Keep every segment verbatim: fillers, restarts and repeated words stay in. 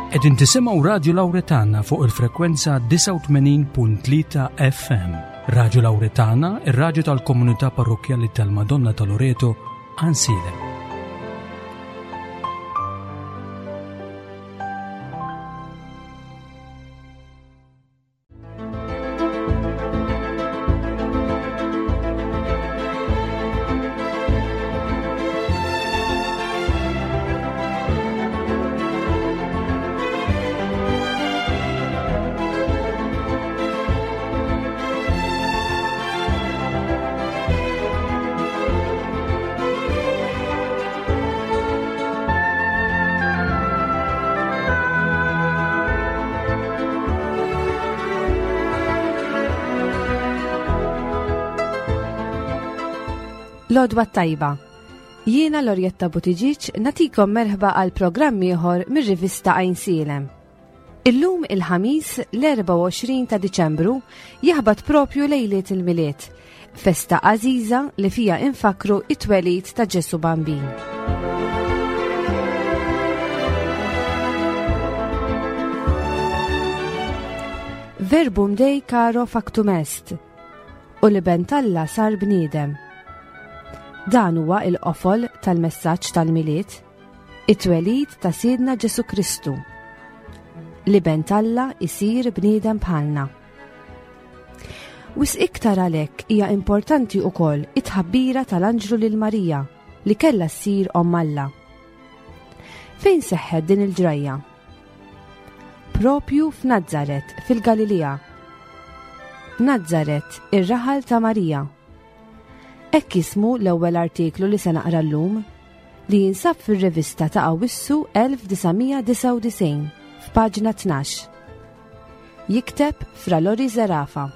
Qegħdin tisimgħu Radju Lawretana fuq il-frekwenza disgħa u tmenin punt tlieta F M. Radju Lawretana, ir-radju tal-Komunità Parrokkjali tal-Madonna ta' Loreto, Għajnsielem. L-għodwa t-tajba. Jiena Lorjetta Buttigieg nagħtikom merħba għal programm ieħor mir-rivista Għajnsielem. Illum il-Ħamis l-erbgħa u għoxrin ta' Diċembru jaħbat propju lejliet il-Milied, festa għażiża li fija infakru it-twelid ta' Ġesu Bambin. Verbum Dei caro factum est, u l-Iben t'Alla sar bniedem. Dan huwa il-qofol tal-messaġġ tal-Milied, it-twelid ta' Sidna Ġesu Kristu. L-Iben t'Alla isir bniedem bħalna. Wisq iktar għalhekk hija importanti wkoll it-tħabbira tal-anġlu lil Marija li kellha ssir omm Alla. Fejn seħħet din il-ġrajja? Propju f'Nazzaret fil-Galilija. Nazzaret, ir-raħal ta' Marija. Hekk jismu l-ewwel artiklu li se naqra llum li jinsab fir-rivista ta' Awwissu elf disa' mija disgħa u disgħin f'paġna tnax. Jikteb Fra Lori Zerafa.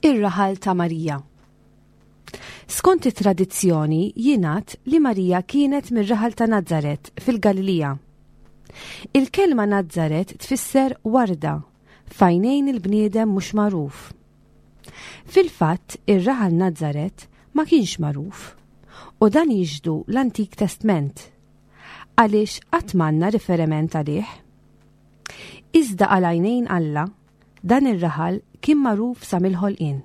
Ir-raħal ta' Marija. Skont it-tradizzjoni jingħad li Marija kienet mir-raħal ta' Nazzaret fil-Galilija. Il-kelma Nazzaret tfisser warda f'għajnejn il-bniedem mhux magħruf. Fil-fatt, ir-raħal Nazzaret ma kienx magħruf u dan jixhdu l-Antik Testment għaliex qatt m'għandna riferiment għalih. Iżda għal għajnejn Alla, dan ir-raħal kien magħruf sa mill-ħolqien.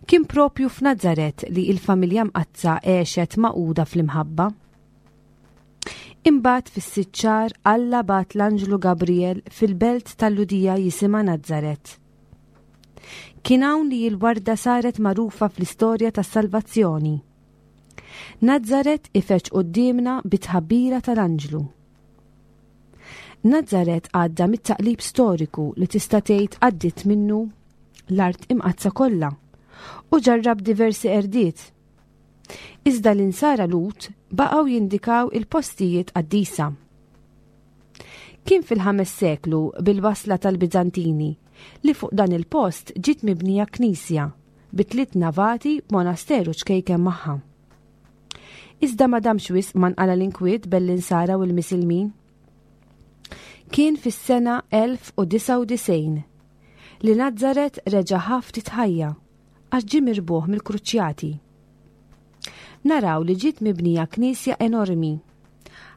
Kien propju f'Nazzaret li il-familja mqaddsa għexet magħquda fl-imħabba. Imbagħad fis-sitt xahar Alla bagħat l-Anġlu Gabriel fil-belt tal-Lhudija jisimha Nazzaret. Kien hawn li l-warda saret magħrufa fl-istorja tas-salvazzjoni. Nazzaret ifeġġ quddiemna bit-tħabbira tal-Anġlu. Nazzaret għadda mit-taqlib storiku li tista' tgħid għaddiet minnu l-art imqaddsa kollha u ġarrab diversi qerdiet. Iżda l-insara Lhud baqgħu jindikaw il-postijiet qaddisa. Kien fil-ħames seklu bil-wasla tal-Bizantini li fuq dan il-post ġiet mibnija knisja bi tliet navati b'monasteru ċkejken magħha. Iżda ma damx wisq ma nqala l-inkwiet bejn l-insara u l-Misilmin. Kien fis-sena elf u disgħa u disgħin li Nazzaret reġa' ħa ftit ħajja għax ġie mirbuħ mill-Kruċjati. Naraw li ġiet mibnija knisja enormi,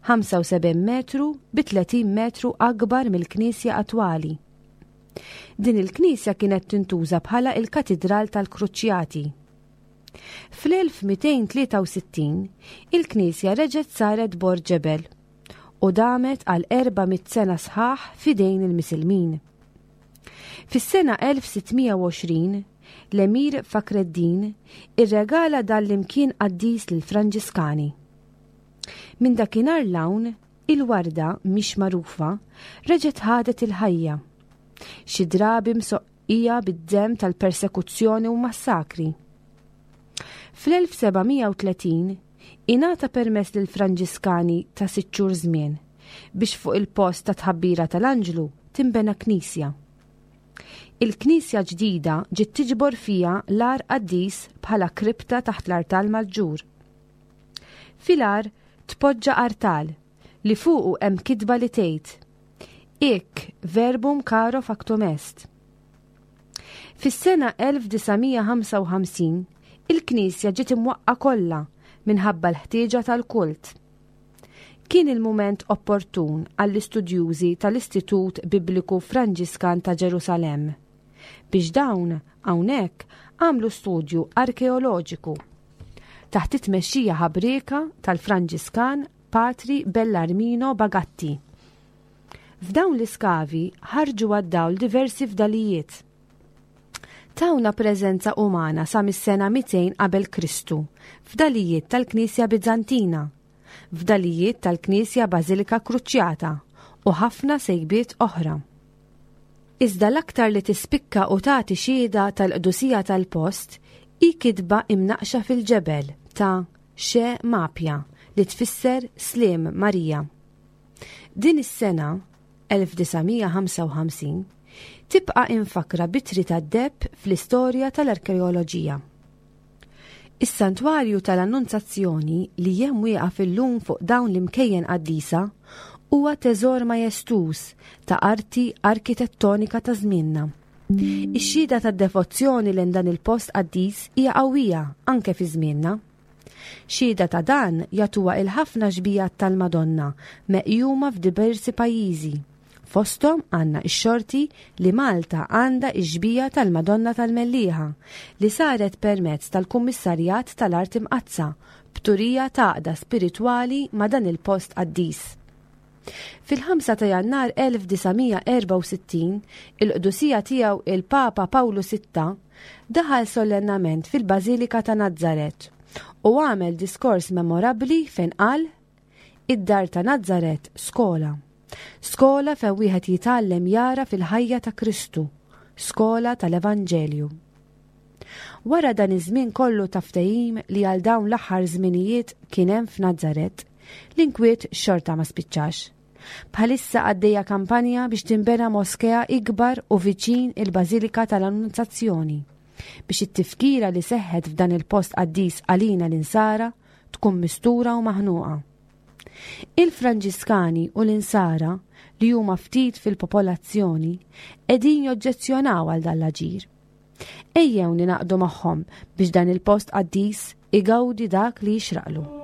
ħamsa u sebgħin metru bi tletin metru akbar mill-knisja attwali. Din il-knisja kienet tintuża bħala il-Katidral tal-Kruċjati. Fl-elf mitejn tlieta u sittin il-knisja reġgħet saret bord ġebel u damet għal erba' mitt sena sħaħ f'idejn il-Misilmin. Fis-sena elf sitt mija u għoxrin l-Emir Fakreddin irregala dan l-imkien qaddis lill-Franġiskani. Minn dakinhar 'l hawn il-warda mhix magħrufa reġgħet ħadet il-ħajja. Xi drabi msoqqija bid-dem tal-persekuzzjoni u massakri. Fl-elf seba' mija u tletin ingħata permess lil Franġiskani ta' sitt xhur żmien biex fuq il-post ta' tħabbira tal-Anġlu timbena knisja. Il-knisja ġdida ġiet tiġbor fija l-għar qaddis bħala kripta taħt l-artal maġġur. Fil-għar tpoġġa artal li fuqu hemm kitba li tgħid: Hic verbum caro factum est. Fis-sena elf disa' mija ħamsa u ħamsin, il-knisja ġiet imwaqqa kollha minħabba l-ħtieġa tal-kult. Kien il-mument opportun għall-istudjużi tal-Istitut Bibliku Franġiskan ta' Ġerusalemm biex dawn hawnhekk għamlu studju arkeoloġiku taħt it-tmexxija ħabrieka tal-Franġiskan Patri Bellarmino Bagatti. F'dawn l-iskavi ħarġu għad-dawl diversi fdalijiet. Tawna preżenza umana sa mis-sena mitejn qabel Kristu, fdalijiet tal-Knisja Bizantina, fdalijiet tal-Knisja Bażilika Kruċjata u ħafna sejbiet oħra. Iżda l-aktar li tispikka u tagħti xhieda tal-qdusija tal-post hi kitba imnaqxa fil-ġebel ta' Xe Mapja li tfisser Slim Marija. Din is-sena elf disa' mija ħamsa u ħamsin tibqa' infakra bitri tad-deheb fl-istorja tal-arkeoloġija. Is-santwarju tal-Annunzazzjoni li hemm wieqaf illum fuq dawn l-imkejjen qaddisa huwa teżor majestuż ta' arti arkitettonika ta' żmienna. Ix-xhieda tad-devozzjoni lejn dan il-post qaddis hija qawwija anke fi żmienna. Xhieda ta' dan jagħtuha il-ħafna xbijat tal-Madonna meqjuma f'diversi pajjiżi. Fosthom għandna x-xorti li Malta għandha x-xbija tal-Madonna tal-Mellieħa li saret permezz tal-Kummissarjat tal-Art Imqaddsa b'turija ta' għaqda spiritwali ma' dan il-post qaddis. Fil-ħamsa ta' Jannar elf disa' mija erba' u sittin, il-qdusija tiegħu il-Papa Pawlu sitta daħal solennament fil-Bażilika ta' Nazzaret u għamel diskors memorabbli fejn qal: Id-dar ta' Nazzaret skola. Skola fejn wieħed jitgħallem jara fil-ħajja ta' Kristu, skola tal-Evanġelju. Wara dan iż-żmien kollu ta' ftehim li għal dawn l-aħħar żminijiet kien hemm f'Nazzaret, l-inkwiet xorta ma spiċċax. Bħalissa għaddejja kampanja biex tinbena moskea ikbar u viċin il-Bażilika tal-Annunzazzjoni biex it-tifkira li seħħet f'dan il-post qaddis għalina l-insara tkun mistura u maħnuqa. Il-Franġiskani u l-insara li huma ftit fil-popolazzjoni qegħdin joġġezzjonaw għal dan l-aġir. Ejjew ninaqdu magħhom biex dan il-post qaddis igawdi dak li jixraqlu.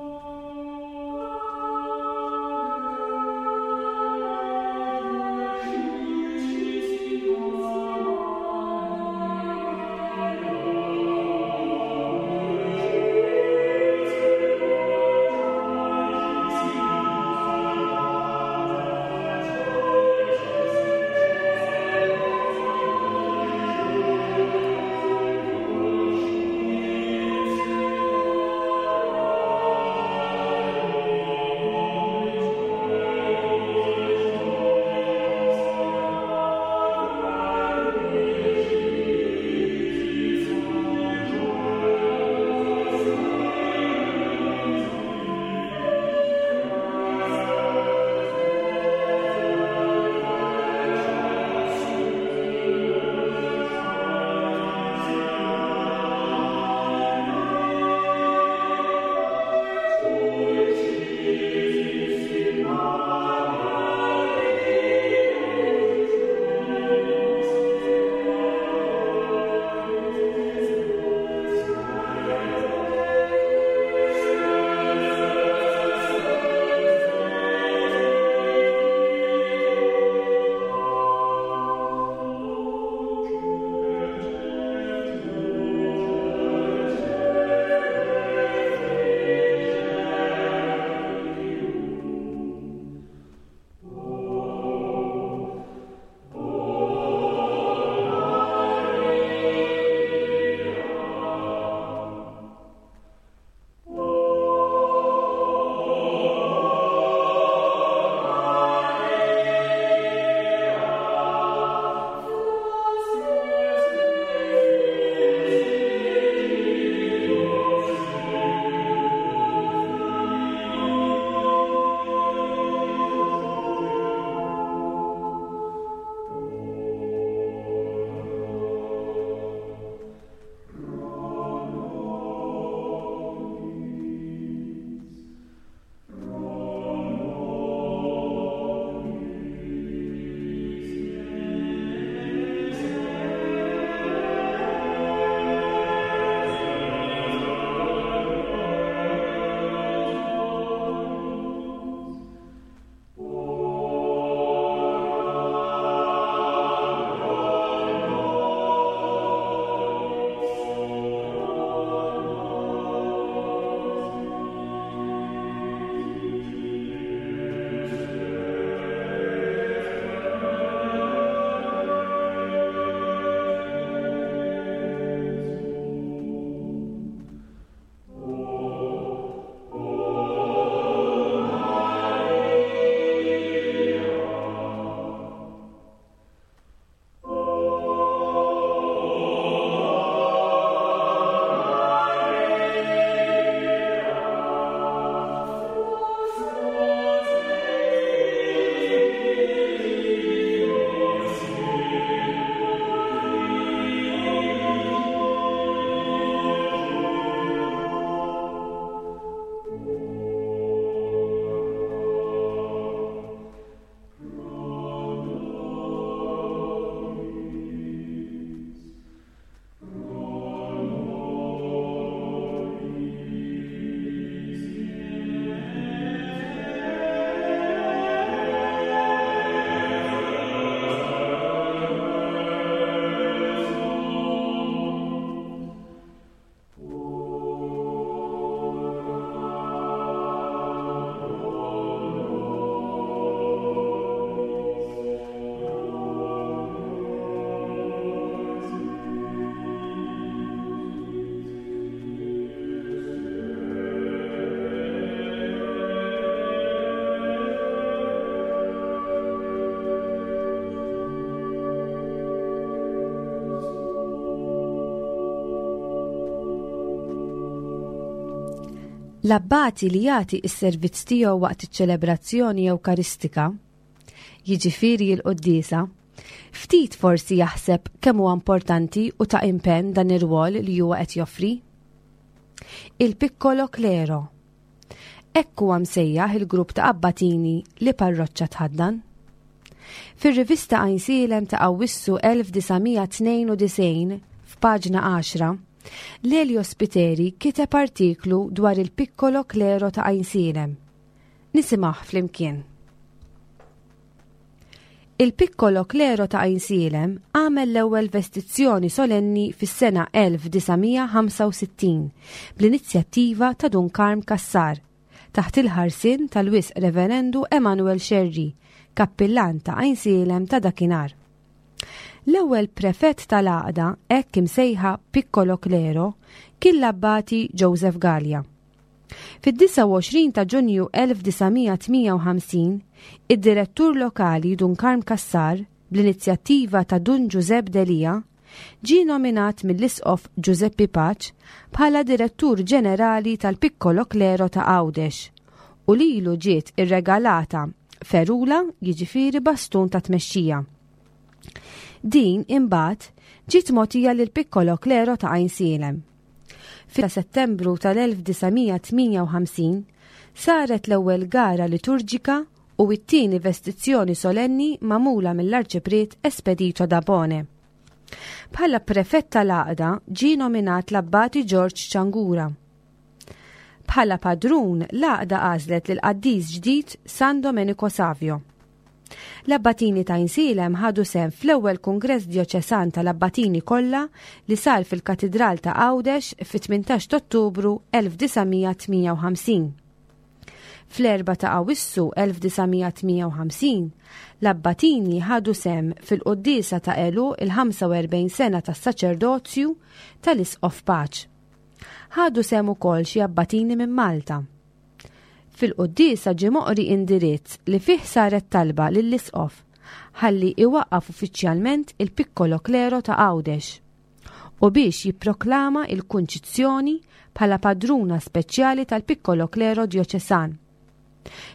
L-abbati li jagħti s-servizz tiegħu waqt iċ-ċelebrazzjoni Ewkaristika, jiġifieri l-quddiesa, ftit forsi jaħseb kemm huwa importanti u ta' impenn dan ir-rwol li huwa qed joffri. Il-Piccolo Clero. Hekk huwa msejjaħ il-grupp ta' abbatini li parroċċa tħaddan. Fir-rivista Għajnsielem ta' Awwissu elf disa' mija tnejn u disgħin, f'paġna għaxra, Lelio Spiteri kiteb artiklu dwar il-Piccolo Clero ta' Għajnsielem. Nisimgħu flimkien. Il-Piccolo Clero ta' Għajnsielem għamel l-ewwel vestizzjoni solenni fis-sena elf disa' mija ħamsa u sittin bl-inizjattiva ta' Dun Karm Cassar taħt il-ħarsien tal-Wisq Reverendu Emanuel Scerri, kappillan ta' Għajnsielem ta' dakinhar. L-ewwel prefett tal-għaqda, hekk imsejħa Piccolo Clero, kien l-abbati Joseph Gallia. Fid-disgħa u għoxrin ta' Ġunju elf disa' mija tmija u ħamsin, id-direttur lokali Dun Karm Cassar, bl-inizjattiva ta' Dun Giuseppe Delia, ġie nominat mill-Isqof Giuseppe Pace bħala direttur ġenerali tal-Piccolo Clero ta' Għawdex u lilu ġiet irregalata ferula, jiġifieri bastun ta' tmexxija. Din imbagħad ġiet mogħtija lil Piccolo Clero ta' Għajnsielem. Fi Settembru tal-elf disa' mija tmija u ħamsin saret l-ewwel gara liturġika u t-tieni vestizzjoni solenni magħmula mill-Arċipriet Espedito Dabone. Bħala prefett tal-għaqda ġie nominat l-Abbati George Ciangura. Bħala padrun l-għaqda għażlet lil qaddis ġdid San Domenico Savio. L-abbatini ta' Għajnsielem ħadu sehem fl-ewwel Kungress Djoċesan tal-Abbatini kollha li sar fil-Katidral ta' Għawdex fit-tmintax ta' Ottubru elf disa' mija tmija u ħamsin. Fl-erba' ta' Awwissu elf disa' mija tmija u ħamsin, l-abbatini ħadu sehem fil-quddiesa ta' għeluq il-ħamsa u erbgħin sena tas-saċerdozju tal-Isqof Pace. Ħadu sehem ukoll xi abbatini minn Malta. Fil-quddiesa ġie moqri indirizz li fih saret talba lill-Isqof ħalli iwaqqaf uffiċjalment il-Piccolo Clero ta' Għawdex u biex jipproklama il-Kunċizzjoni bħala padruna speċjali tal-Piccolo Clero Djoċesan.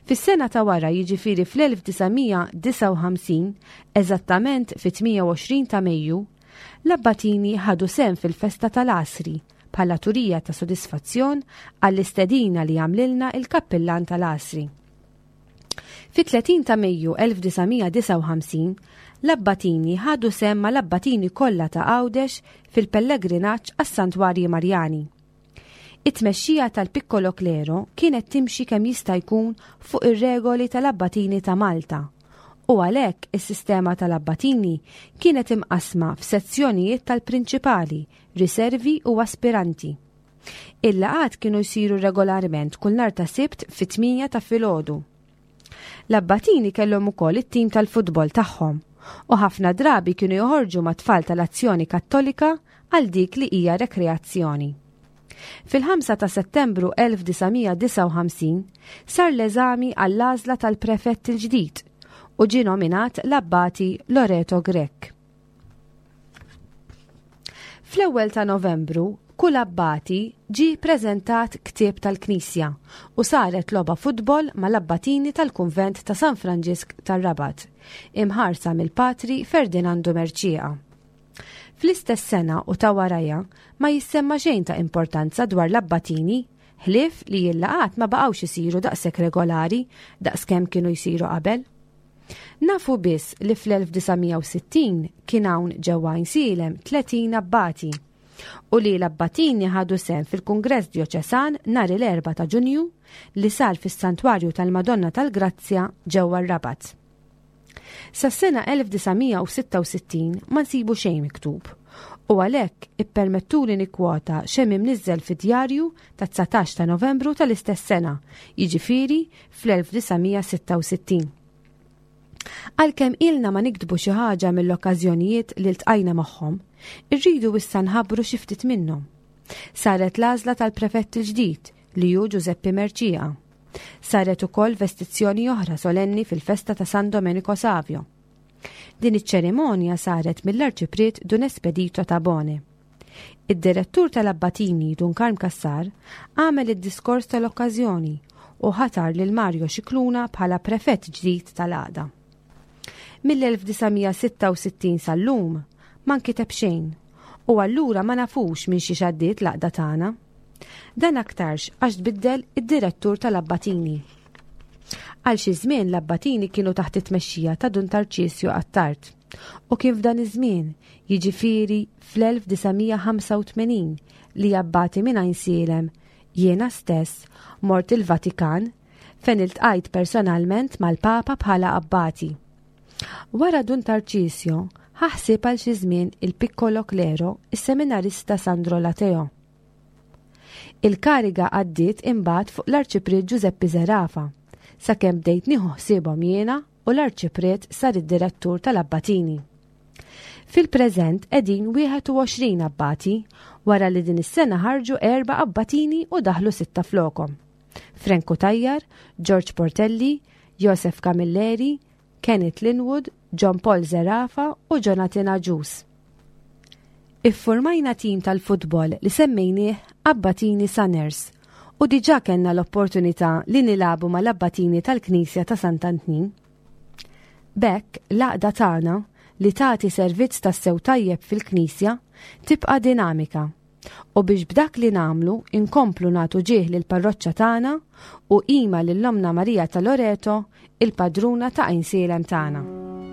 Fis-sena ta' wara, jiġifieri fl-elf disa' mija disgħa u ħamsin, eżattament fit-tmija u għoxrin ta' Mejju, l-abbatini ħadu sehem fil-festa tal-Għasri bħala turija ta' sodisfazzjon għall-istedina li għamlilna il-kappillan tal-Għasri. Fit-tletin ta' Mejju elf disa' mija disgħa u ħamsin, l-abbatini ħadu sehem mal-abbatini kollha ta' Għawdex fil-pellegrinaġġ għas-Santwarji Marjani. It-tmexxija tal-Piccolo Clero kienet timxi kemm jista' jkun fuq ir-regoli tal-abbatini ta' Malta u għalhekk is-sistema tal-abbatini kienet imqasma f'sezzjonijiet tal-prinċipali, riservi u aspiranti. Il-laqgħat kienu jsiru regolarment kull nhar ta' Sibt fit-tminja ta' filgħodu. L-abbatini kellhom ukoll it-tim tal-futbol tagħhom u ħafna drabi kienu joħorġu ma' tfal tal-Azzjoni Kattolika għal dik li hija rekreazzjoni. Fil-ħamsa ta' Settembru elf disa' mija disgħa u ħamsin sar l-eżami għall-għażla tal-prefett il-ġdid u ġie nominat l-Abbati Loreto Grech. Fl-ewwel ta' Novembru, kull abbati ġie preżentat ktieb tal-Knisja u saret logħba futbol mal-abbatini tal-Kunvent ta' San Franġisk tar-Rabat, imħarsa mill-Patri Ferdinando Mercieca. Fl-istess sena u ta' warajha ma jissemma xejn ta' importanza dwar l-abbatini, ħlief li l-laqgħat ma baqgħux isiru daqshekk regolari daqskemm kienu jsiru qabel. Nafu biss li fl-elf disa' mija u sittin kien hawn ġewwa Għajnsielem tletin abbati u li l-abbatini ħadu sehem fil-Kungress Djoċesan nhar il-erba' ta' Ġunju li sar fis-Santwarju tal-Madonna tal-Grazzja ġewwa r-Rabat. Sas-sena elf disa' mija u sitta u sittin ma nsibu xejn miktub u għalhekk ippermettuli nikkwota x'hemm imniżżel fid-djarju ta' dsatax ta' Novembru tal-istess sena, jiġifieri fl-elf disa' mija sitta u sittin. Għalkemm ilna ma niktbu xi ħaġa mill-okkażjonijiet li ltqajna magħhom, irridu issa nħabbru xi ftit minnhom. Saret l-għażla tal-prefett il-ġdid li hu Giuseppe Mercieca. Saret ukoll vestizzjoni oħra solenni fil-festa ta' San Domenico Savio. Din iċ-ċerimonja saret mill-Arċipriet Dun Espedito Tabone. Id-direttur tal-Abbatini Dun Karm Cassar għamel id-diskors tal-okkażjoni u ħatar lil Mario Scicluna bħala prefett ġdid tal-għaqda. Mill-elf disa' mija sitta u sittin sal-lum ma nkiteb xejn u allura ma nafux minn xi xaddiet l-għaqda tagħna. Dan aktarx għax tbiddel id-direttur tal-Abbatini. Għal xi żmien l-Abbatini kienu taħt it-tmexxija ta' Dun Tarċisju Attard u kien f'dan iż-żmien, jiġifieri fl-elf disa' mija ħamsa u tmenin, li abbati minn Għajnsielem jiena stess mort il-Vatikan fejn iltqajt personalment mal-Papa bħala abbati. Wara Dun Tarċisju ħaħsib għal xi żmien il-Piccolo Clero is-seminarista Sandro Lateo. Il-kariga għaddiet imbagħad fuq l-Arċipriet Giuseppe Zerafa, sakemm bdejt nieħu ħsiebhom jiena u l-Arċipriet sar id-direttur tal-Abbatini. Fil-preżent qegħdin wieħed u għoxrin abbati, wara li din is-sena ħarġu erba' abbatini u daħlu sitta flokom. Franco Tajjar, George Portelli, Joseph Camilleri, Kenneth Linwood, John Paul Zerafa u Jonathan Agius. Iffurmajna tim tal-futbol li semmejnieh Abbatini Sunners u diġà kellna l-opportunità li nilabu mal-Abbatini tal-Knisja ta' Sant'Antnin. B'hekk l-għaqda tagħna li tagħti servizz tassew tajjeb fil-Knisja tibqa' dinamika u biex b'dak li nagħmlu inkomplu nagħtu ġieħ lill-parroċċa tagħna u qima lil Ommna Marija ta' Loreto, il-padruna ta' Għajnsielem tagħna. Mater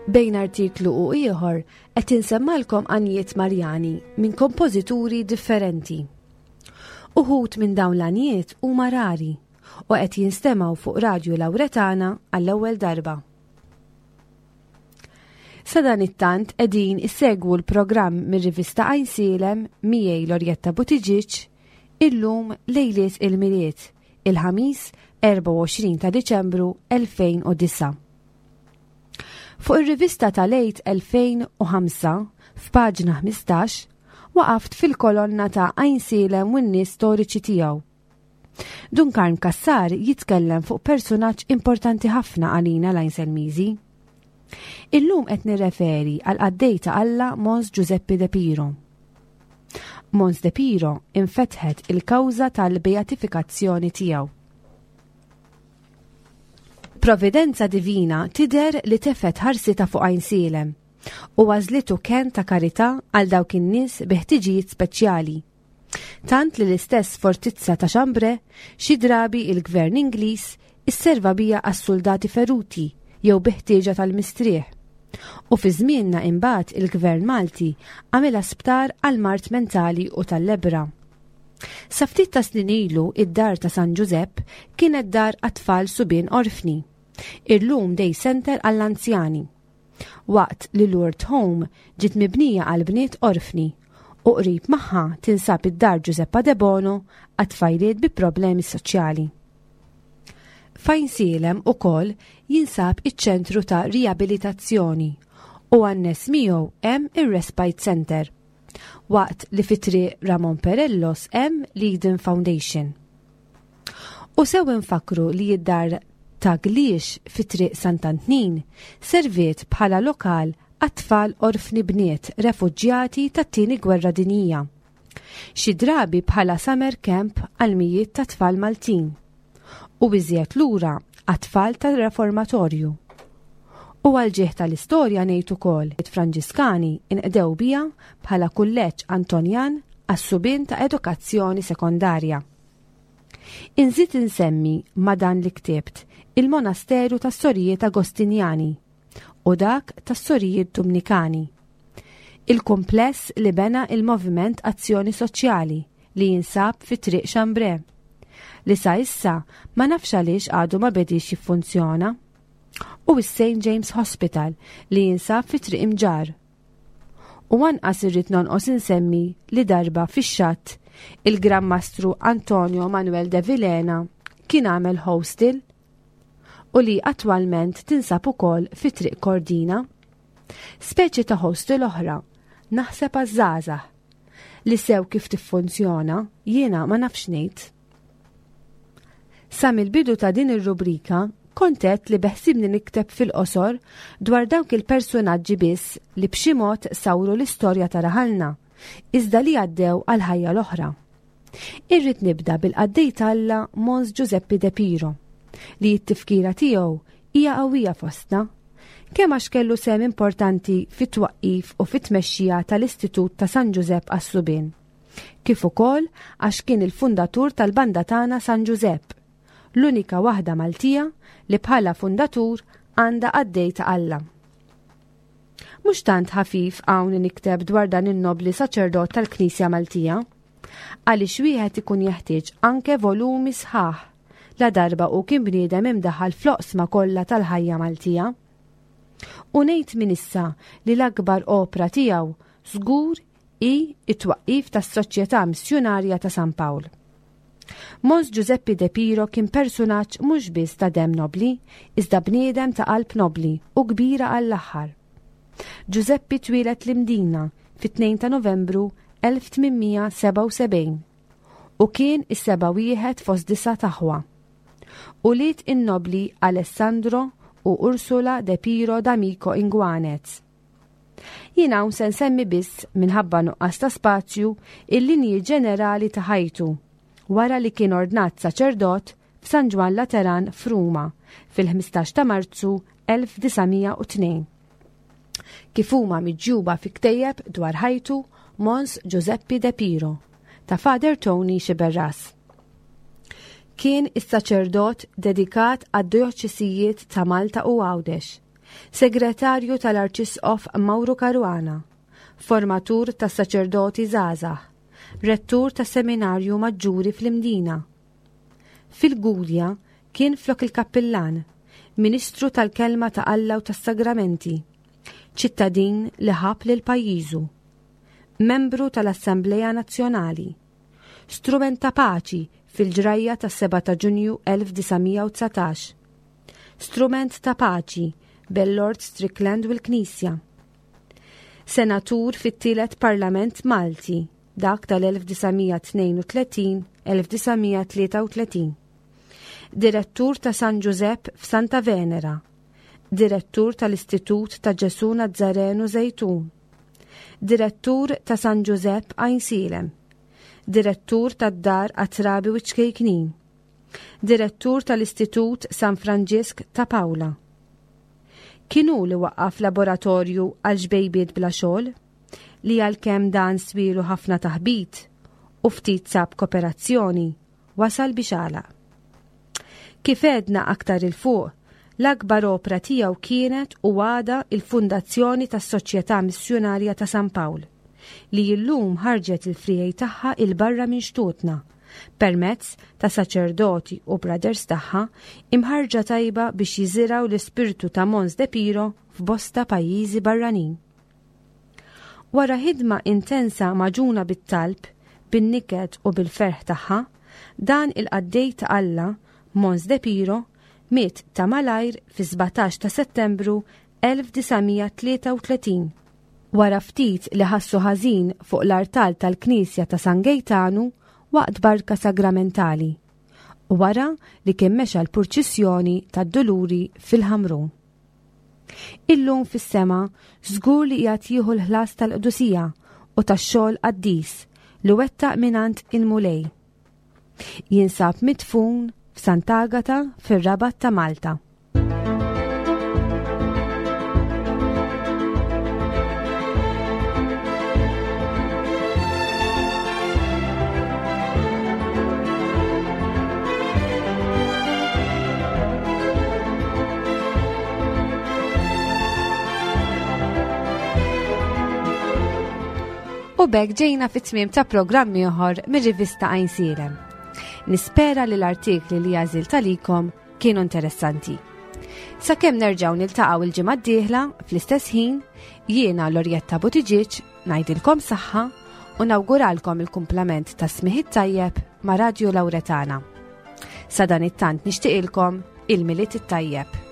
Bejn artiklu u ieħor qed insemmalkom għanjiet Marjani minn kompożituri differenti. Uħud minn dawn l-għanjiet huma rari u qed jinstemgħu fuq Radju Lawretana għall-ewwel darba. Sadanittant qegħdin issegwu l-programm mir-rivista Għajnsielem miegħi Lorjetta Buttigieg illum lejliet il-Milied, il-Ħamis erbgħa u għoxrin ta' Diċembru elfejn u disgħa. Fuq ir-rivista tal-Għid elfejn u ħamsa f'paġna ħmistax waqaft fil-kolonna ta' Għajnsielem u n-nies storiċi tiegħu. Dun Karm Cassar jitkellem fuq personaġġ importanti ħafna għalina l-Għajnselmiżi. Illum qed nirreferi għal qaddej ta' Alla Mons Giuseppe De Piro. Mons De Piro infetħet il-kawża tal-beatifikazzjoni tiegħu. Providenza divina tidher li tefgħet ħarsitha fuq Għajnsielem u għażlitu kenn ta' karità għal dawk in-nies bi ħtiġijiet speċjali. Tant li l-istess fortizza ta' Chambray xi drabi il-gvern Ingliż isserva bija għas-soldati feruti jew bi ħtieġa tal-mistrieħ. U fi żmienna imbagħad il-gvern Malti għamilha sptar għal mard mentali u tal-lebbra. Sa ftit ta' snin ilu id-dar ta' San Ġużepp kienet dar għat-tfal subien orfni. Illum day center għall-anzjani. Waqt li Lourdes Home ġiet mibnija għal bniet orfni u qrib magħha tinsab id-dar Giuseppa De Bono għat-tfajliet bi problemi soċjali. F'Għajnsielem ukoll jinsab iċ-ċentru ta' riabilitazzjoni u annes miegħu hemm ir-Respite Center. Waqt li fi triq Ramon Perellos hemm l-Eden Foundation. U sew infakru li id-dar ta' Gliex fi triq Sant'Antnin serviet bħala lokal għat-tfal orfni bniet refuġjati tat-tieni gwerra dinjija. Xi drabi bħala summer camp għal mijiet ta' tfal Maltin u iżjed lura għat-tfal tal-reformatorju. U għal-ġieħ tal-istorja ngħid ukoll it-Franġiskani inqdew bija bħala kulleġġ Antonjan għas-subien ta' edukazzjoni sekondarja. Inżid insemmi ma' dan li ktibt il-monasteru tas-Sorijiet Agostinjani u dak tas-Sorijiet Dominikani. Il-kumpless li bena il-Moviment Azzjoni Soċjali li jinsab fi triq Chambray li sa issa ma nafx għaliex għadu ma bedix jiffunzjona. U is-Saint James Hospital li jinsab fi triq Imġarr. U anqas irrid nonqos insemmi li darba fix-xatt il-Gran Mastru Antonio Manuel de Vilhena kien għamel hostel u li attwalment tinsab ukoll fi triq Kordina. Speċi ta' hostel oħra, naħseb għaż-żgħażagħ li sew kif tiffunzjona jiena ma nafx ngħid. Sa mill-bidu ta' din ir-rubrika kont għedt li beħsibni nikteb fil-qosor dwar dawk il-personaġġi biss li b'xi mod sawru l-istorja ta' raħalna, iżda li għaddew għal ħajja l-oħra. Irrid nibda bil-qaddej t'Alla Mons Giuseppe De Piro, li t-tifkira tiegħu hija qawwija fostna, kemm għax kellu sehem importanti fit-twaqqif u fit-tmexxija tal-Istitut ta' San Ġużepp għas-Subien, kif ukoll għax kien il-fundatur tal-banda tagħna San Ġużepp, l-unika waħda Maltija li bħala fundatur għandha qaddej ta' Alla. Mhux tant ħafif hawn nikteb dwar dan in-nobli saċerdot tal-Knisja Maltija, għaliex wieħed ikun jeħtieġ anke volumi sħaħ la darba u kien bniedem imdaħal fl-oqsma kollha tal-ħajja Maltija. U ngħid minn issa li l-akbar opra tiegħu żgur hi it-twaqqif tas-Soċjetà Missjunarja ta' San Pawl. Mons Giuseppe De Piro kien personaġġ mhux biss ta' dem nobli, iżda bniedem ta' qalb nobli u kbira għall-aħħar. Giuseppe twieled l-Imdina fit-tnejn ta' Novembru elf tmien mija sebgħa u sebgħin u kien is-seba' wieħed fost disa' t'aħwa. Ulied in-nobli Alessandro u Ursula De Piro D'Amico Inguanez. Jien hawn se nsemmi biss minħabba nuqqas ta' spazju il-linji ġenerali ta' ħajtu wara li kien ordnat saċerdot f'San Ġwann Lateran f'Ruma fil-ħmistax ta' Marzu elf disa' mija u tnejn. Kif huma miġjuba fi ktejjeb dwar ħajtu Mons Giuseppe De Piro ta' Father Tony Sciberras. Kien is-saċerdot dedikat għad-dioċesijiet ta' Malta u Għawdex. Segretarju tal-Arċisqof Mauro Caruana, formatur tas-saċerdoti żgħażagħ, rettur tas-Seminarju Maġġuri fl-Imdina. Fil-Gudja kien flok il-kappillan, ministru tal-Kelma ta' Alla u tas-Sagramenti, ċittadin li ħab lil pajjiżu, membru tal-Assembleja Nazzjonali, strument ta' paċi fil-ġrajja tas-seba' ta' Ġunju elf disa' mija u dsatax, strument ta' paċi bejn Lord Strickland u l-Knisja, senatur fit-tielet Parlament Malti, dak tal-elf disa' mija tnejn u tletin, elf disa' mija tlieta u tletin, direttur ta' San Giuseppe f'Santa Venera, direttur tal-Istitut ta' Ġesu Nazzarenu Zejtun, direttur ta' San Giuseppe Għajnsielem, direttur tad-Dar Għat-Trabi u Ċkejknin, direttur tal-Istitut San Franġisk ta' Paola. Kien hu li waqqaf laboratorju għal ġbejbiet bla xogħol, li għalkemm dan swielu ħafna taħbit u ftit sab kooperazzjoni, wasal biex għalaq. Kif għedna aktar il fuq, l-akbar opra tiegħu kienet u għada il-fundazzjoni tas-Soċjetà Missjunarja ta' San Pawl, li illum ħarġet il-frijej tagħha il-barra minn xtutna, permezz ta' saċerdoti u brothers tagħha imħarġa tajba biex jiżiraw l-ispirtu ta' Mons De Piro f'bosta pajjiżi barranin. Wara ħidma intensa maġuna bit-talb, bin-niket u bil-ferħ tagħha, dan il-qaddej ta' Alla, Mons De Piro, miet ta' malajr fi sbatax ta' Settembru elf disa' mija tlieta u tletin. Wara ftit li ħassu ħażin fuq l-artal tal-Knisja ta' San Gejtanu waqt barka sagramentali, u wara li kien mexa l-purċissjoni tad-Duluri fil-Ħamrun. Illum fis-sema żgur li qiegħed jieħu l-ħlas tal-qdusija u tax-xogħol qaddis li wettaq mingħand il-Mulej. Jinsab midfun f'Sant'Agata fir-Rabat ta' Malta. U b'hekk ġejna fit-tmiem ta' programm ieħor mir-rivista Għajnsielem. Nispera li l-artikli li għażilt għalikom kienu interessanti. Sakemm nerġgħu niltaqgħu il-ġimgħa d-dieħla fl-istess ħin, jiena Lorjetta Buttigieg ngħidilkom saħħa u nawguralkom il-kumplament ta' smigħ it-tajjeb ma' Radio Lauretana. Sa dan it-tant nixtieqilkom il-Milied it-tajjeb.